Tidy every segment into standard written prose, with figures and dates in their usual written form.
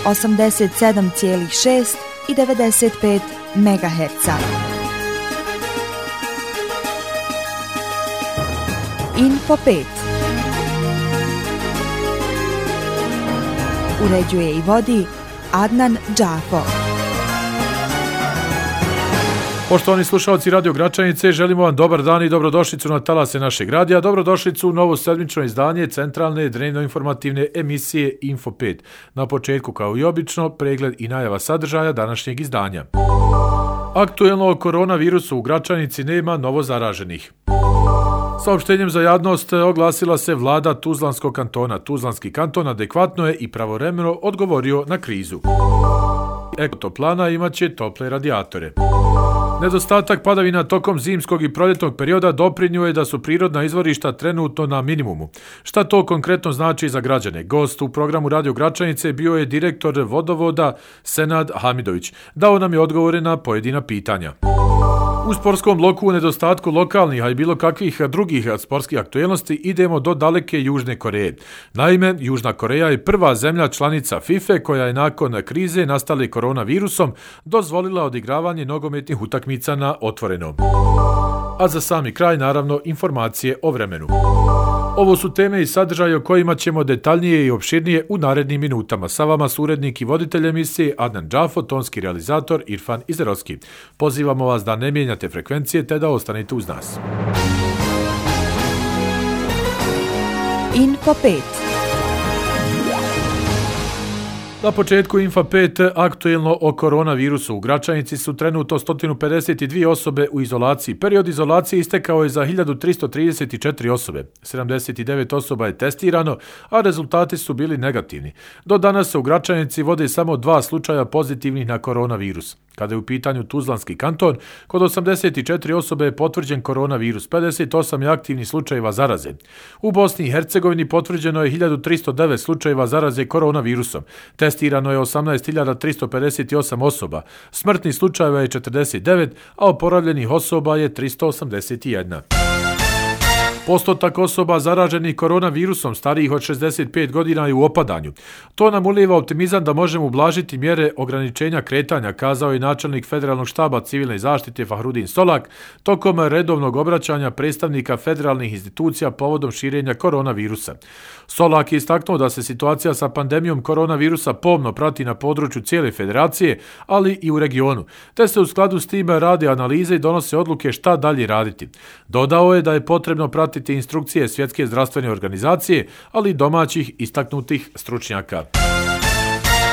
87,6 i 95 MHz. Info 5. Uređuje i vodi Adnan Džafo. Poštovani slušalci Radio Gračanice, želimo vam dobar dan i dobrodošlicu na talase našeg radija, dobrodošlicu u novo sedmično izdanje centralne dnevno-informativne emisije Info 5. Na početku, kao i obično, pregled i najava sadržaja današnjeg izdanja. Aktuelno o koronavirusu u Gračanici nema novo zaraženih. Saopštenjem za javnost oglasila se vlada Tuzlanskog kantona. Tuzlanski kanton adekvatno je i pravovremeno odgovorio na krizu. Ekotoplana imaće tople radijatore. Nedostatak padavina tokom zimskog i proljetnog perioda doprinio je da su prirodna izvorišta trenutno na minimumu. Šta to konkretno znači za građane? Gost u programu Radio Gračanice bio je direktor vodovoda Senad Hamidović. Dao nam je odgovore na pojedina pitanja. U sportskom bloku u nedostatku lokalnih, a i bilo kakvih drugih sportskih aktuelnosti idemo do daleke Južne Koreje. Naime, Južna Koreja je prva zemlja članica FIFA koja je nakon krize nastale koronavirusom dozvolila odigravanje nogometnih utakmica na otvorenom. A za sami kraj, naravno, informacije o vremenu. Ovo su teme i sadržaje o kojima ćemo detaljnije i opširnije u narednim minutama. Sa vama su urednik i voditelj emisije Adnan Džafo, tonski realizator Irfan Izerovski. Pozivamo vas da ne mijenjate frekvencije te da ostanete uz nas. Info 5. Na početku Info 5 aktuelno o koronavirusu. U Gračanici su trenutno 152 osobe u izolaciji. Period izolacije istekao je za 1334 osobe. 79 osoba je testirano, a rezultati su bili negativni. Do danas se u Gračanici vode samo 2 slučaja pozitivnih na koronavirus. Kada je u pitanju Tuzlanski kanton, kod 84 osobe je potvrđen koronavirus, 58 je aktivnih slučajeva zaraze. U Bosni i Hercegovini potvrđeno je 1309 slučajeva zaraze koronavirusom. Testirano je 18.358 osoba. Smrtnih slučajeva je 49, a oporavljenih osoba je 381. Postotak osoba zaraženih koronavirusom starijih od 65 godina je u opadanju. To nam ulijeva optimizam da možemo ublažiti mjere ograničenja kretanja, kazao je načelnik Federalnog štaba civilne zaštite Fahrudin Solak tokom redovnog obraćanja predstavnika federalnih institucija povodom širenja koronavirusa. Solak je istaknuo da se situacija sa pandemijom koronavirusa pomno prati na području cijele federacije, ali i u regionu, te se u skladu s tim rade analize i donose odluke šta dalje raditi. Dodao je da je potrebno pratiti instrukcije Svjetske zdravstvene organizacije, ali i domaćih istaknutih stručnjaka.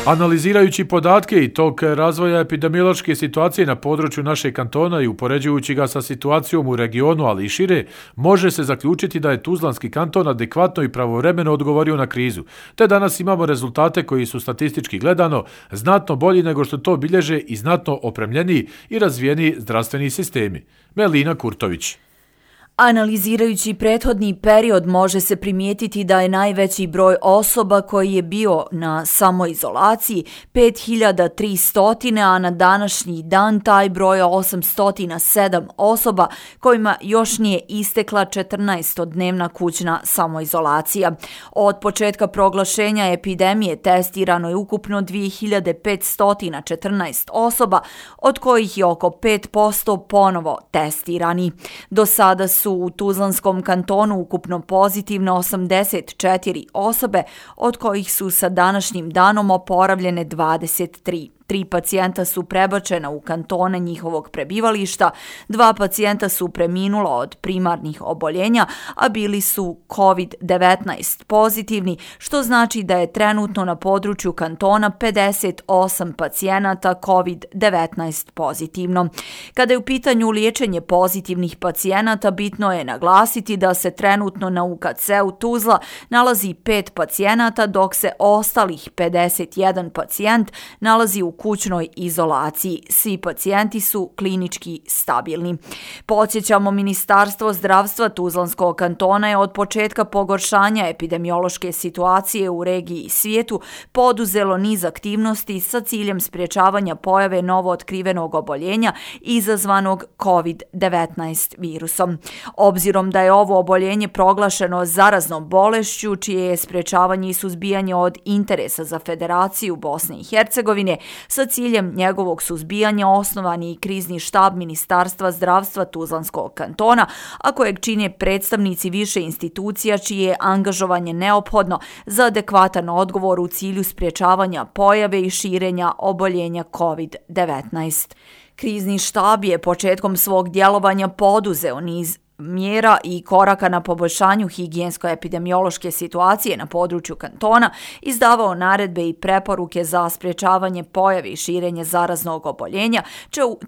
Analizirajući podatke i tok razvoja epidemiološke situacije na području našeg kantona i upoređujući ga sa situacijom u regionu, ali i šire, može se zaključiti da je Tuzlanski kanton adekvatno i pravovremeno odgovorio na krizu, te danas imamo rezultate koji su statistički gledano znatno bolji nego što to bilježe i znatno opremljeniji i razvijeniji zdravstveni sistemi. Melina Kurtović. Analizirajući prethodni period može se primijetiti da je najveći broj osoba koji je bio na samoizolaciji 5300, a na današnji dan taj broj je 807 osoba kojima još nije istekla 14-dnevna kućna samoizolacija. Od početka proglašenja epidemije testirano je ukupno 2514 osoba, od kojih je oko 5% ponovo testirani. Do sada su u Tuzlanskom kantonu ukupno pozitivno 84 osobe, od kojih su sa današnjim danom oporavljene 23. 3 pacijenta su prebačena u kantone njihovog prebivališta, 2 pacijenta su preminula od primarnih oboljenja, a bili su COVID-19 pozitivni, što znači da je trenutno na području kantona 58 pacijenata COVID-19 pozitivno. Kada je u pitanju liječenje pozitivnih pacijenata, bitno je naglasiti da se trenutno na UKC-u Tuzla nalazi 5 pacijenata, dok se ostalih 51 pacijent nalazi u kućnoj izolaciji. Svi pacijenti su klinički stabilni. Podsjećamo, Ministarstvo zdravstva Tuzlanskog kantona je od početka pogoršanja epidemiološke situacije u regiji i svijetu poduzelo niz aktivnosti sa ciljem sprječavanja pojave novootkrivenog oboljenja izazvanog COVID-19 virusom. Obzirom da je ovo oboljenje proglašeno zaraznom bolešću, čije je sprječavanje i suzbijanje od interesa za Federaciju Bosne i Hercegovine, sa ciljem njegovog suzbijanja osnovan je i krizni štab Ministarstva zdravstva Tuzlanskog kantona, a kojeg čine predstavnici više institucija čije je angažovanje neophodno za adekvatan odgovor u cilju sprječavanja pojave i širenja oboljenja COVID-19. Krizni štab je početkom svog djelovanja poduzeo niz mjera i koraka na poboljšanju higijensko-epidemiološke situacije na području kantona, izdavao naredbe i preporuke za sprječavanje pojave i širenje zaraznog oboljenja,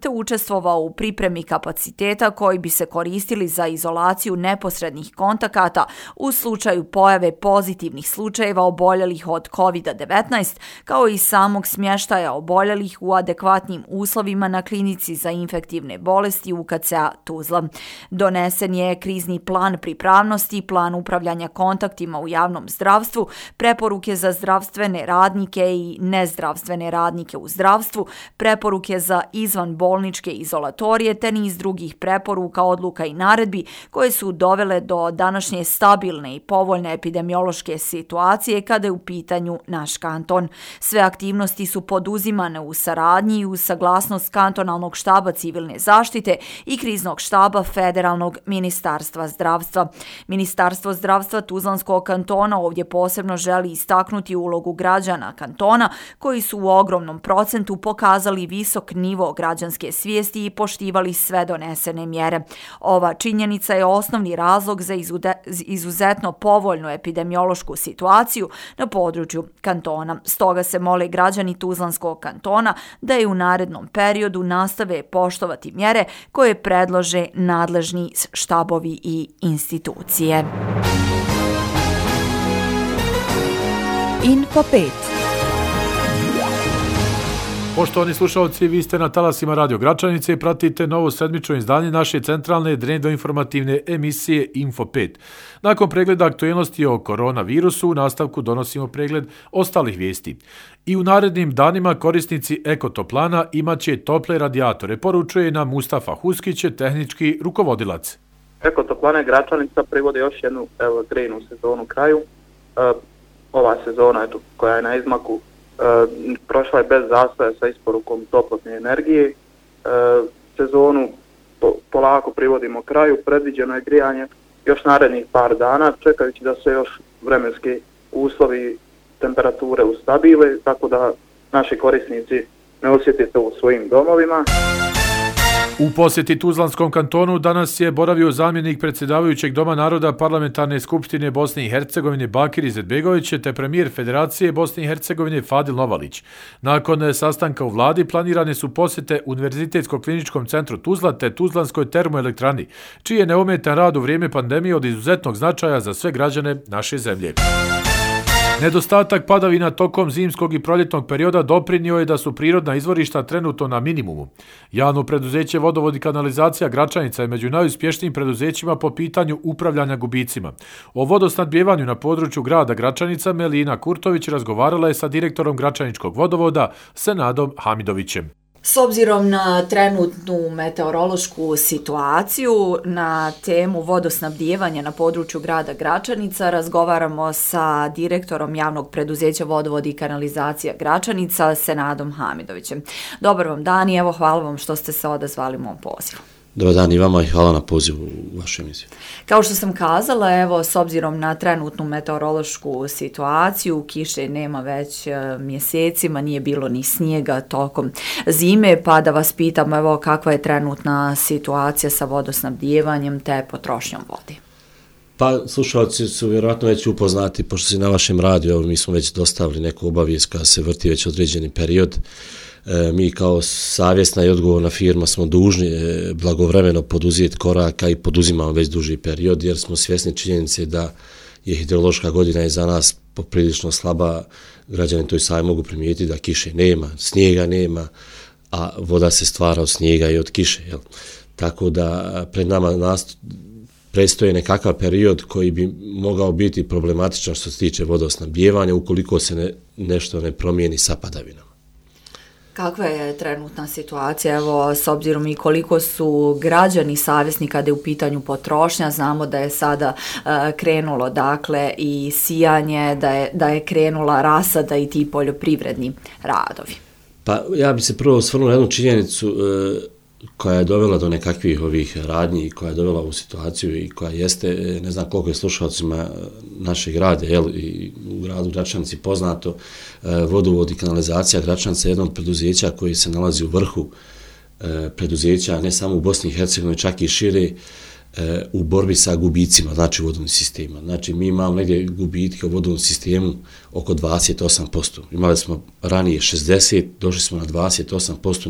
te učestvovao u pripremi kapaciteta koji bi se koristili za izolaciju neposrednih kontakata u slučaju pojave pozitivnih slučajeva oboljelih od COVID-19, kao i samog smještaja oboljelih u adekvatnim uslovima na klinici za infektivne bolesti UKC-a Tuzla. Donesen je krizni plan pripravnosti, plan upravljanja kontaktima u javnom zdravstvu, preporuke za zdravstvene radnike i nezdravstvene radnike u zdravstvu, preporuke za izvanbolničke izolatorije te niz drugih preporuka, odluka i naredbi koje su dovele do današnje stabilne i povoljne epidemiološke situacije kada je u pitanju naš kanton. Sve aktivnosti su poduzimane u saradnji i uz saglasnost kantonalnog štaba civilne zaštite i kriznog štaba federalnog Ministarstva zdravstva. Ministarstvo zdravstva Tuzlanskog kantona ovdje posebno želi istaknuti ulogu građana kantona koji su u ogromnom procentu pokazali visok nivo građanske svijesti i poštivali sve donesene mjere. Ova činjenica je osnovni razlog za izuzetno povoljnu epidemiološku situaciju na području kantona. Stoga se mole građani Tuzlanskog kantona da i u narednom periodu nastave poštovati mjere koje predlože nadležni štabovi i institucije. Info 5. Poštovani slušalci, vi ste na talasima Radio Gračanice i pratite novo sedmično izdanje naše centralne dnevno-informativne emisije Info 5. Nakon pregleda aktualnosti o koronavirusu, u nastavku donosimo pregled ostalih vijesti. I u narednim danima korisnici Ekotoplana imaće tople radijatore, poručuje nam Mustafa Huskić, tehnički rukovodilac. Ekotoplane Gračanica privode još jednu grejnu sezonu kraju. Ova sezona koja je na izmaku prošla je bez zastoja sa isporukom toplotne energije. Sezonu polako privodimo kraju, predviđeno je grijanje još narednih par dana, čekajući da se još vremenski uslovi temperature ustabile, tako da naši korisnici ne osjete to u svojim domovima. U posjeti Tuzlanskom kantonu danas je boravio zamjenik predsjedavajućeg Doma naroda Parlamentarne skupštine Bosne i Hercegovine Bakir Izetbegović te premijer Federacije Bosne i Hercegovine Fadil Novalić. Nakon sastanka u vladi planirane su posjete Univerzitetskog kliničkom centru Tuzla te Tuzlanskoj termoelektrani, čiji je neometan rad u vrijeme pandemije od izuzetnog značaja za sve građane naše zemlje. Nedostatak padavina tokom zimskog i proljetnog perioda doprinio je da su prirodna izvorišta trenutno na minimumu. Javno preduzeće Vodovod i kanalizacija Gračanica je među najuspješnijim preduzećima po pitanju upravljanja gubicima. O vodosnabdijevanju na području grada Gračanica Melina Kurtović razgovarala je sa direktorom Gračaničkog vodovoda Senadom Hamidovićem. S obzirom na trenutnu meteorološku situaciju na temu vodosnabdijevanja na području grada Gračanica razgovaramo sa direktorom javnog preduzeća Vodovod i kanalizacija Gračanica Senadom Hamidovićem. Dobar vam dan i evo hvala vam što ste se odazvali mom pozivu. Dobar dan i vama i hvala na pozivu u vašu emisiju. Kao što sam kazala, evo, s obzirom na trenutnu meteorološku situaciju, kiše nema već mjesecima, nije bilo ni snijega tokom zime, pa da vas pitam, evo, kakva je trenutna situacija sa vodosnabdijevanjem te potrošnjom vode? Pa, slušalci su vjerojatno već upoznati, pošto si na vašem radiju, evo, mi smo već dostavili neku obavijest koja se vrti već određeni period. Mi kao savjesna i odgovorna firma smo dužni blagovremeno poduzeti koraka i poduzimamo već duži period jer smo svjesni činjenice da je hidrološka godina iza nas poprilično slaba, građani to i sami mogu primijetiti da kiše nema, snijega nema, a voda se stvara od snijega i od kiše. Jel? Tako da pred nama predstoji nekakav period koji bi mogao biti problematičan što se tiče vodosnabdijevanja ukoliko se nešto ne promijeni sa padavinama. Kakva je trenutna situacija, evo, s obzirom i koliko su građani savjesni kada je u pitanju potrošnja, znamo da je sada krenulo dakle i sijanje, da je krenula rasada i ti poljoprivredni radovi. Pa ja bi se prvo osvrnuo na jednu činjenicu koja je dovela do nekakvih ovih radnji, koja je dovela u situaciju i koja jeste, ne znam koliko je slušalcima našeg grada, i u gradu Gračanici poznato, vodovod i kanalizacija Gračanica je jedno od preduzeća koji se nalazi u vrhu preduzeća, ne samo u Bosni i Hercegovini, čak i šire, u borbi sa gubicima, znači u vodovnim sistemima. Znači mi imamo negdje gubitke u vodovnom sistemu oko 28%. Imali smo ranije 60%, došli smo na 28%,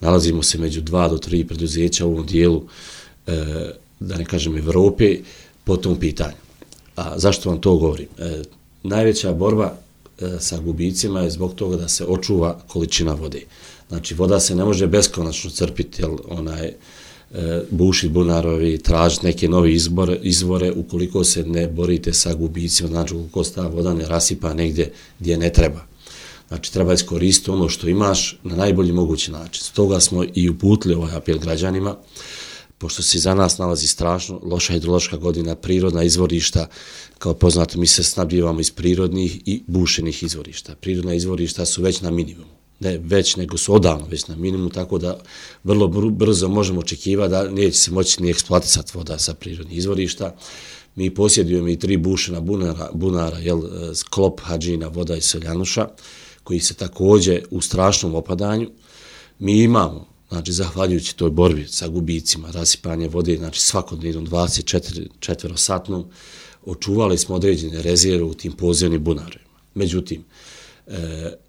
nalazimo se među 2 do 3 preduzeća u ovom dijelu, da ne kažem Evrope, po tom pitanju. A zašto vam to govorim? Najveća borba sa gubicima je zbog toga da se očuva količina vode. Znači voda se ne može beskonačno crpiti, jer bušiti bunarovi, tražiti neke nove izvore ukoliko se ne borite sa gubicima, znači ukoliko se ta voda ne rasipa negdje gdje ne treba. Znači treba iskoristiti ono što imaš na najbolji mogući način. Stoga smo i uputili ovaj apel građanima, pošto se za nas nalazi strašno loša hidrološka godina, prirodna izvorišta, kao poznato mi se snabdijevamo iz prirodnih i bušenih izvorišta. Prirodna izvorišta su već na minimumu. Ne već, nego su odavno već na minimum, tako da vrlo brzo možemo očekivati da neće se moći ni eksploatisati voda sa prirodnih izvorišta. Mi posjedujemo i 3 bušena bunara, Sklop, Hadžina, Voda i Seljanuša, koji se također u strašnom opadanju. Mi imamo, znači zahvaljujući toj borbi sa gubicima, rasipanje vode, znači svakodnevnom 24-satnom, očuvali smo određene rezerve u tim podzemnim bunarima. Međutim,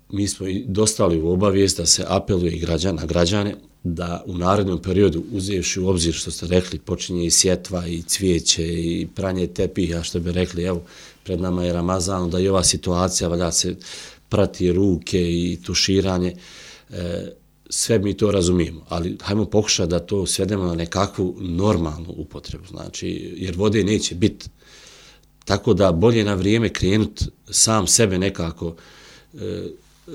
mi smo i dostali u obavijest da se apeluje i na građane da u narednom periodu, uzevši u obzir što ste rekli, počinje i sjetva i cvijeće i pranje tepiha, što bi rekli, evo, pred nama je Ramazan, da i ova situacija, valja se prati ruke i tuširanje, sve mi to razumijemo, ali hajmo pokušati da to svedemo na nekakvu normalnu upotrebu, znači, jer vode neće biti. Tako da bolje na vrijeme krenuti sam sebe nekako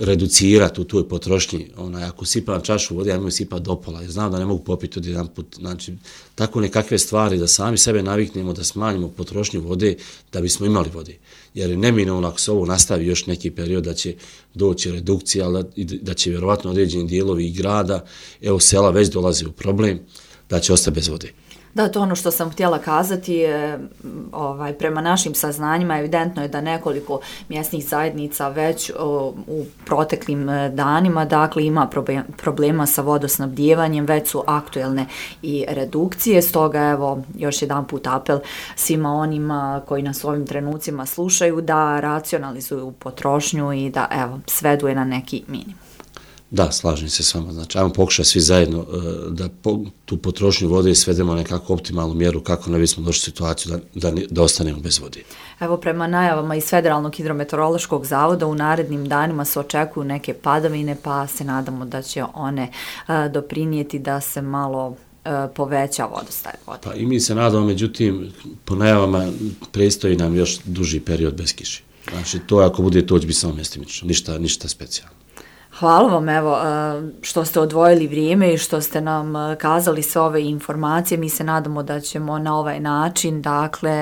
reducirati u toj potrošnji. Ako sipam čašu vode, ja imam sipati do pola, jer znam da ne mogu popiti od jedan put. Znači, tako nekakve stvari da sami sebe naviknemo, da smanjimo potrošnju vode, da bismo imali vode. Jer neminovno ako se ovo nastavi još neki period da će doći redukcija, da će vjerovatno određeni dijelovi grada, evo sela već dolaze u problem, da će ostati bez vode. Da, to ono što sam htjela kazati, prema našim saznanjima evidentno je da nekoliko mjesnih zajednica već u proteklim danima, dakle, ima problema sa vodosnabdijevanjem, već su aktuelne i redukcije, stoga evo još jedan put apel svima onima koji nas u ovim trenucima slušaju da racionalizuju potrošnju i da evo svedu je na neki minimum. Da, slažem se s vama. Znači, ajmo pokušati svi zajedno da tu potrošnju vode svedemo na nekakvu optimalnu mjeru kako ne bismo došli u situaciju da ostanemo bez vode. Evo, prema najavama iz Federalnog hidrometeorološkog zavoda u narednim danima se očekuju neke padavine, pa se nadamo da će one doprinijeti da se malo poveća vodostaj vode. Pa i mi se nadamo, međutim, po najavama predstoji nam još duži period bez kiše. Znači, to ako bude, to će biti samo mjestimično, ništa specijalno. Hvala vam evo što ste odvojili vrijeme i što ste nam kazali sve ove informacije. Mi se nadamo da ćemo na ovaj način dakle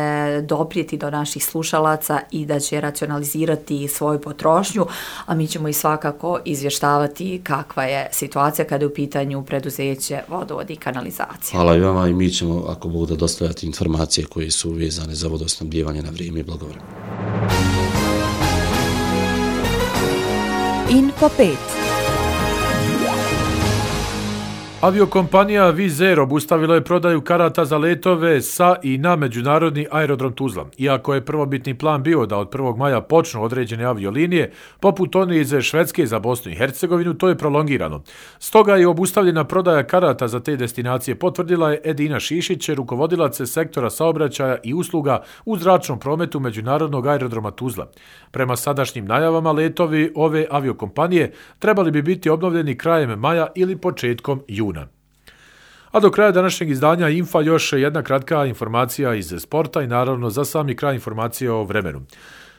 doprijeti do naših slušalaca i da će racionalizirati svoju potrošnju, a mi ćemo i svakako izvještavati kakva je situacija kada je u pitanju preduzeće vodovod i kanalizacije. Hvala i vama i mi ćemo, ako Bog da, dostavljati informacije koje su vezane za vodosnabdijevanje na vrijeme i blagovremeno. Info 5. Aviokompanija Wizz Air obustavila je prodaju karata za letove sa i na međunarodni aerodrom Tuzla. Iako je prvobitni plan bio da od 1. maja počnu određene aviolinije, poput one iz Švedske za Bosnu i Hercegovinu, to je prolongirano. Stoga je obustavljena prodaja karata za te destinacije, potvrdila je Edina Šišić, rukovodilac sektora saobraćaja i usluga u zračnom prometu međunarodnog aerodroma Tuzla. Prema sadašnjim najavama, letovi ove aviokompanije trebali bi biti obnovljeni krajem maja ili početkom juna. A do kraja današnjeg izdanja Infa još jedna kratka informacija iz sporta i naravno za sami kraj informacije o vremenu.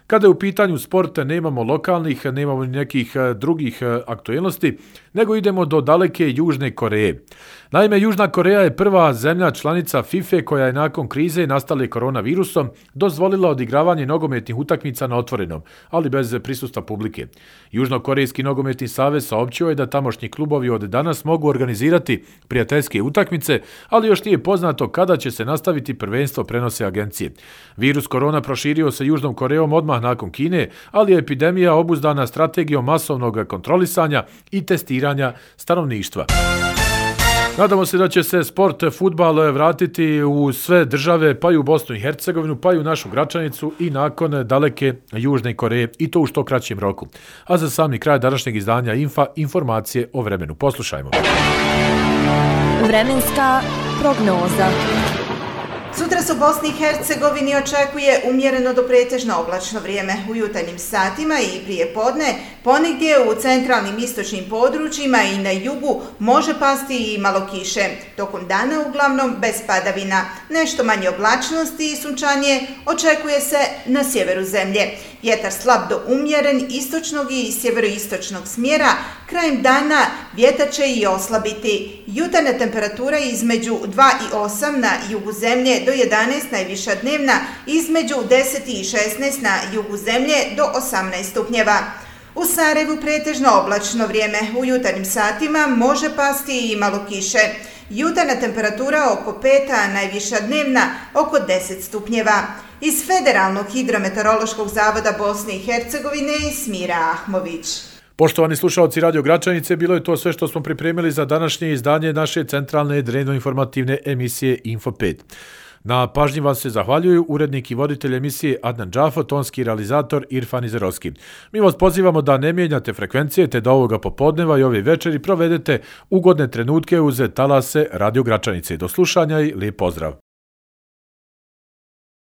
Kada je u pitanju sporta nemamo lokalnih, nemamo nekih drugih aktualnosti, nego idemo do daleke Južne Koreje. Naime, Južna Koreja je prva zemlja članica FIFA koja je nakon krize nastale koronavirusom dozvolila odigravanje nogometnih utakmica na otvorenom, ali bez prisustva publike. Južnokorejski nogometni savez saopćio je da tamošnji klubovi od danas mogu organizirati prijateljske utakmice, ali još nije poznato kada će se nastaviti prvenstvo, prenose agencije. Virus korona proširio se Južnom Korejom odmah nakon Kine, ali je epidemija obuzdana strategijom masovnog kontrolisanja i testiranja stanovništva. Nadamo se da će se sport, fudbal vratiti u sve države, pa i u Bosnu i Hercegovinu, pa i u našu Gračanicu i nakon daleke Južne Koreje, i to u što kraćem roku. A za sami kraj današnjeg izdanja Infa, informacije o vremenu. Poslušajmo. Vremenska prognoza. Sutra se u Bosni i Hercegovini očekuje umjereno do pretežno oblačno vrijeme. U jutarnjim satima i prije podne ponegdje u centralnim istočnim područjima i na jugu može pasti i malo kiše. Tokom dana uglavnom bez padavina. Nešto manje oblačnosti i sunčanje očekuje se na sjeveru zemlje. Vjetar slab do umjeren istočnog i sjeveroistočnog smjera. Krajem dana vjetar će i oslabiti. Jutarnja temperatura između 2 i 8 na jugu zemlje do 11 najviša dnevna, između 10 i 16 na jugu zemlje do 18 stupnjeva. U Sarajevu pretežno oblačno vrijeme. U jutarnjim satima može pasti i malo kiše. Jutarnja temperatura oko 5, a najviša dnevna oko 10 stupnjeva. Iz Federalnog hidrometeorološkog zavoda Bosne i Hercegovine Smira Ahmović. Poštovani slušalci Radio Gračanice, bilo je to sve što smo pripremili za današnje izdanje naše centralne dnevno-informativne emisije Info 5. Na pažnji vam se zahvaljuju urednik i voditelj emisije Adnan Džafo, tonski realizator Irfan Izerovski. Mi vas pozivamo da ne mijenjate frekvencije te da ovoga popodneva i ove večeri provedete ugodne trenutke uz talase Radio Gračanice. Do slušanja i lijep pozdrav.